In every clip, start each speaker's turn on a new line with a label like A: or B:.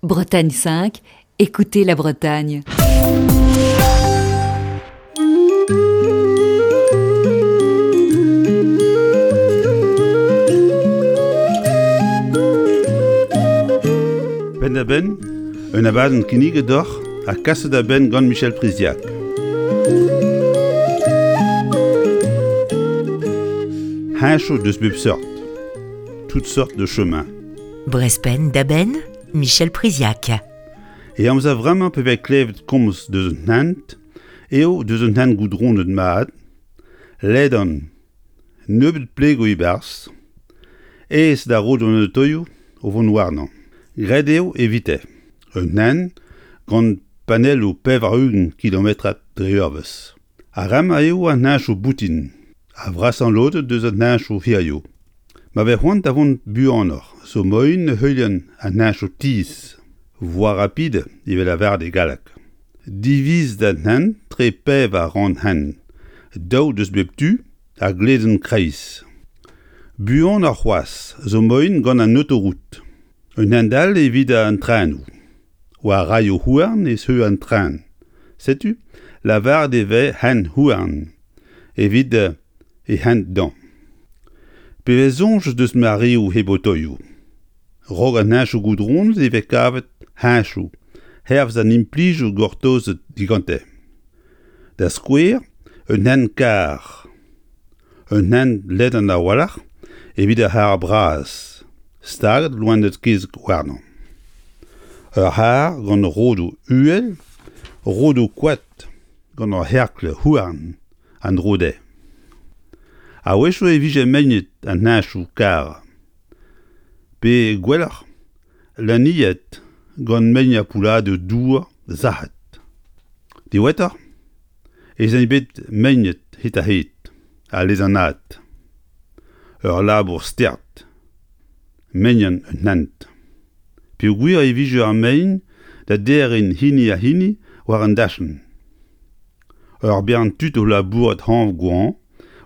A: Bretagne 5, écoutez la Bretagne.
B: Penn-da-benn, un abadenn kinniget deoc'h ha kaset a-benn gant Michel Priziac. Heñchoù deus bep seurt, toutes sortes de chemins.
C: Brezpenn da benn, Michel Priziac.
B: E amzer vremañ pe vez klevet komz deus un hent eo deus un hent goudronet mat, ledan, nebeut plegoù e-barzh, aes da roud an otoioù o vont warnañ. Graet eo evite un hent gant panelloù 80 kilometrad dre eurvezh. Ar re-mañ eo an heñchoù boutin, ar vrasañ lod deus an heñchoù hiziv. Ma vez c'hoant da vont buanoc'h zo moaien heuliañ an heñchoù tizh, voie rapide evel lavaret e galleg. Divizet an hent tre pevar rann-hent, daou deus bep tu ha gledenn kreiz. Buanoc'h c'hoazh zo moaien gant an autoroute. Un hent all evit an trenoù. War raioù houarn e zeu an tren. Setu lavaret e vez hent-houarn evit e hent dañ. Pe vez soñj deus mareoù hep otoioù. Raok an heñchoù goudronet e vez kavet heñchoù hervez an implijoù gortozet digante. Da skouer, un hent-karr. Un hent ledan a-walc'h evit ar c'harr bras, staget loened-kezeg warnañ. Ur c'harr gant rodoù uhel, rodoù koad gant ur c'herkl houarn en-dro dezhe. A-wechoù e vije meinet an heñchoù karr, pe gwelloc'h laniet gant mein ha poulladoù dour sac'het. Diwezhatoc'h ez int bet meinet hed-ha-hed ha lezanaat. Ur labour start, meinan un hent. Peogwir e vije ar mein da derriñ hini ha hini war an dachenn. Ur bern tud o labourat hañv-goañv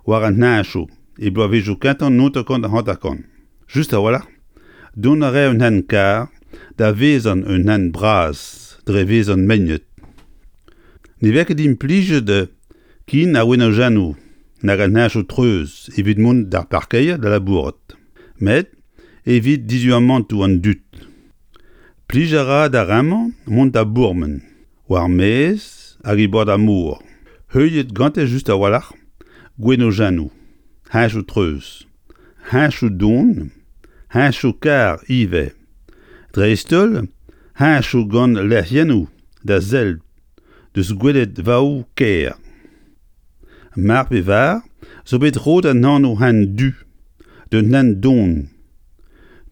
B: war an heñchoù e bloavezhioù kentañ 1950. Just a-walc'h, dont a rae un hent-karr da vezañ un hent bras dre vezañ meinet. Ne vez ket implijet ken ar wenojennoù nag an heñchoù treuz evit mont d'ar parkeier da labourat, met evit diduamantoù an dud. Plij a ra d'ar re-mañ mont da bourmen war maez hag e bord ar mor, heuliet gante just a-walc'h gwenojennoù, heñchoù treuz, heñchoù don, heñchoù karr ivez, dreist-holl heñchoù gant lec'hiennoù da sell deus gweledvaoù kêr. Mar pe var zo bet roet an anv hent du d'un hent don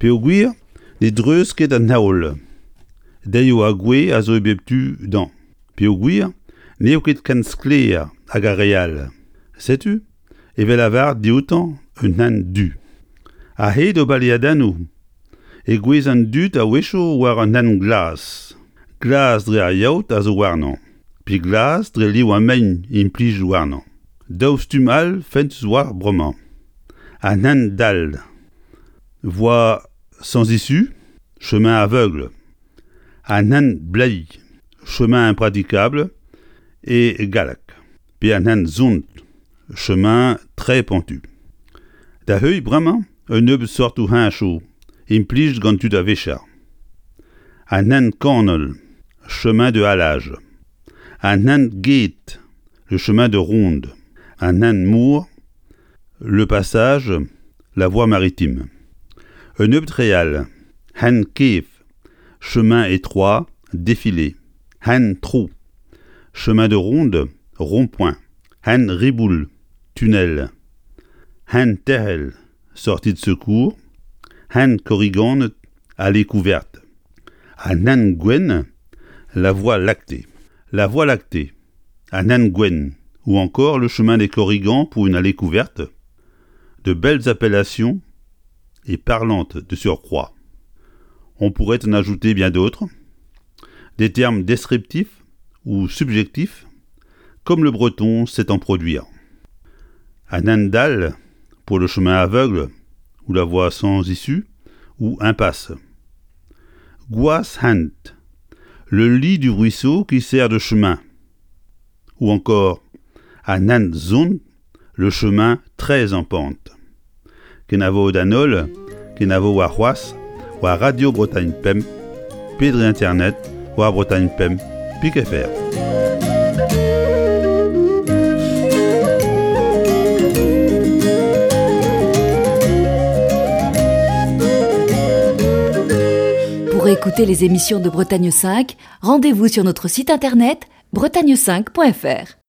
B: peogwir ne dreuz ket an heol. Deioù ha gwez a zo e bep tu d'añ peogwir n'eo ket ken sklaer hag ar re all. Setu e vez lavaret dioutañ un hent du. A-hed o baleadennoù e gouez an dud a-wechoù war un hent glas. Glas dre ar yaout a zo warnañ, pe glas dre liv ar mein implijet warnañ. Daou stumm all fentus 'oa bremañ. An hent dall, voie sans issue, chemin aveugle. An hent bleiz, chemin impraticable e galleg, pe an hent sont, chemin très pentu. Da heuilh bremañ un nebeud sortoù heñchoù implijet gant tud a-vicher. An hent kanol, chemin de halage. An hent ged, le chemin de ronde. An hent mor, le passage, la voie maritime. Un nebeud re all, hent kev, chemin étroit, défilé. Hent tro, chemin de ronde, rond-point. Hent riboul, tunnel. Hent tec'hel, sortie de secours. Hent korriganed, allée couverte. An hent gwenn, la voie lactée. La voie lactée, an hent gwenn, ou encore le chemin des Korrigans pour une allée couverte, de belles appellations et parlantes de surcroît. On pourrait en ajouter bien d'autres, des termes descriptifs ou subjectifs, comme le breton sait en produire. An hent dall pour le chemin aveugle ou la voie sans issue ou impasse. Gwazh-hent, le lit du ruisseau qui sert de chemin. Ou encore An hent sonn, le chemin très en pente. Kenavo d'an holl, kenavo warc'hoazh war Radio Bretagne Pemp pe dre internet war Bretagne Pemp pik fr.
A: Pour écouter les émissions de Bretagne 5, rendez-vous sur notre site internet bretagne5.fr.